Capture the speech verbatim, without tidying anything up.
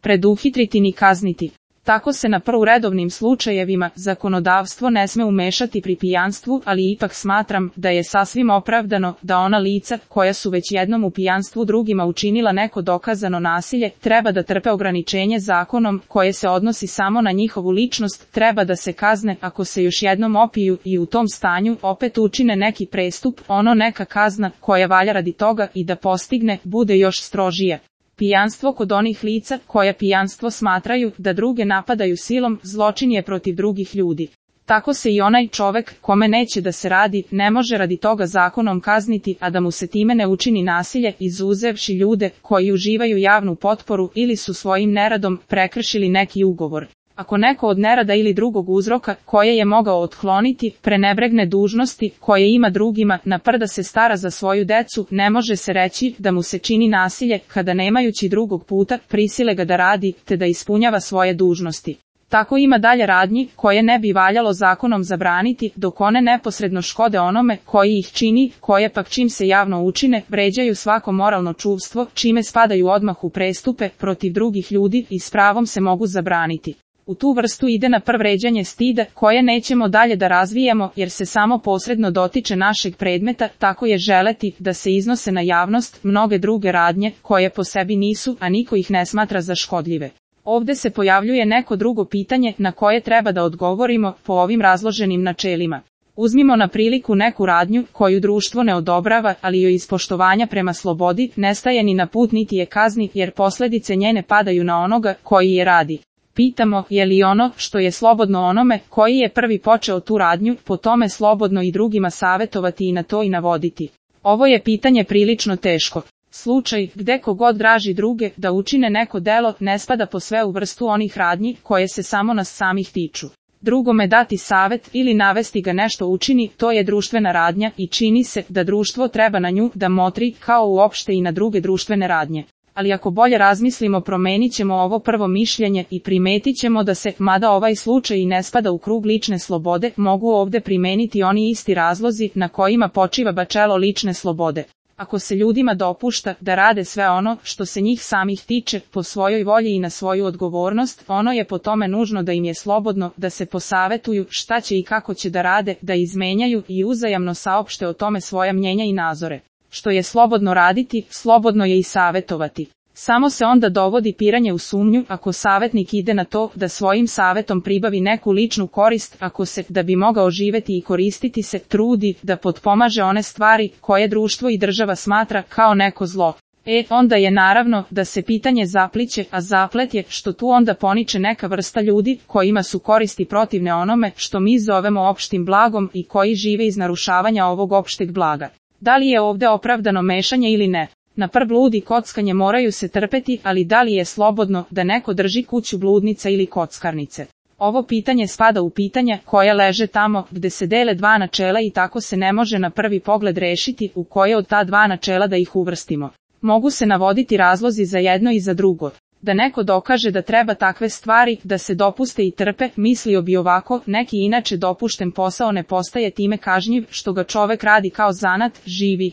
preduhitriti ni kazniti. Tako se na prvu redovnim slučajevima zakonodavstvo ne sme umešati pri pijanstvu, ali ipak smatram da je sasvim opravdano da ona lica koja su već jednom u pijanstvu drugima učinila neko dokazano nasilje, treba da trpe ograničenje zakonom koje se odnosi samo na njihovu ličnost, treba da se kazne ako se još jednom opiju i u tom stanju opet učine neki prestup, ono neka kazna koja valja radi toga i da postigne bude još strožije. Pijanstvo kod onih lica koja pijanstvo smatraju da druge napadaju silom, zločin je protiv drugih ljudi. Tako se i onaj čovek kome neće da se radi, ne može radi toga zakonom kazniti, a da mu se time ne učini nasilje, izuzevši ljude koji uživaju javnu potporu ili su svojim neradom prekršili neki ugovor. Ako neko od nerada ili drugog uzroka koje je mogao otkloniti, prenebregne dužnosti koje ima drugima, napr da se stara za svoju decu, ne može se reći da mu se čini nasilje kada nemajući drugog puta prisile ga da radi, te da ispunjava svoje dužnosti. Tako ima dalje radnji koje ne bi valjalo zakonom zabraniti, dok one neposredno škode onome koji ih čini, koje pak čim se javno učine, vređaju svako moralno čuvstvo, čime spadaju odmah u prestupe protiv drugih ljudi i s pravom se mogu zabraniti. U tu vrstu ide na prv vređanje stida, koje nećemo dalje da razvijamo jer se samo posredno dotiče našeg predmeta, tako je želeti da se iznose na javnost mnoge druge radnje koje po sebi nisu, a niko ih ne smatra za škodljive. Ovde se pojavljuje neko drugo pitanje na koje treba da odgovorimo po ovim razloženim načelima. Uzmimo na priliku neku radnju koju društvo ne odobrava, ali joj iz poštovanja prema slobodi ne staje ni na put niti je kazni, jer posledice njene padaju na onoga koji je radi. Pitamo, je li ono što je slobodno onome koji je prvi počeo tu radnju, po tome slobodno i drugima savetovati i na to i navoditi? Ovo je pitanje prilično teško. Slučaj gde kogod draži druge da učine neko delo ne spada po sve u vrstu onih radnji koje se samo nas samih tiču. Drugome dati savet ili navesti ga nešto učini, to je društvena radnja i čini se da društvo treba na nju da motri kao uopšte i na druge društvene radnje. Ali ako bolje razmislimo, promenit ćemo ovo prvo mišljenje i primetit ćemo da se, mada ovaj slučaj i ne spada u krug lične slobode, mogu ovde primeniti oni isti razlozi na kojima počiva načelo lične slobode. Ako se ljudima dopušta da rade sve ono što se njih samih tiče, po svojoj volji i na svoju odgovornost, ono je po tome nužno da im je slobodno da se posavetuju šta će i kako će da rade, da izmenjaju i uzajamno saopšte o tome svoja mnjenja i nazore. Što je slobodno raditi, slobodno je i savetovati. Samo se onda dovodi piranje u sumnju ako savetnik ide na to da svojim savetom pribavi neku ličnu korist, ako se, da bi mogao živeti i koristiti se, trudi da potpomaže one stvari koje društvo i država smatra kao neko zlo. E, onda je naravno da se pitanje zapliće, a zaplet je što tu onda poniče neka vrsta ljudi kojima su koristi protivne onome što mi zovemo opštim blagom i koji žive iz narušavanja ovog opšteg blaga. Da li je ovde opravdano mešanje ili ne? Na prv blud i kockanje moraju se trpeti, ali da li je slobodno da neko drži kuću bludnica ili kockarnice? Ovo pitanje spada u pitanja koja leže tamo gde se dele dva načela i tako se ne može na prvi pogled rešiti u koje od ta dva načela da ih uvrstimo. Mogu se navoditi razlozi za jedno i za drugo. Da neko dokaže da treba takve stvari da se dopuste i trpe, mislio bi ovako, neki inače dopušten posao ne postaje time kažnjiv što ga čovek radi kao zanat, živi.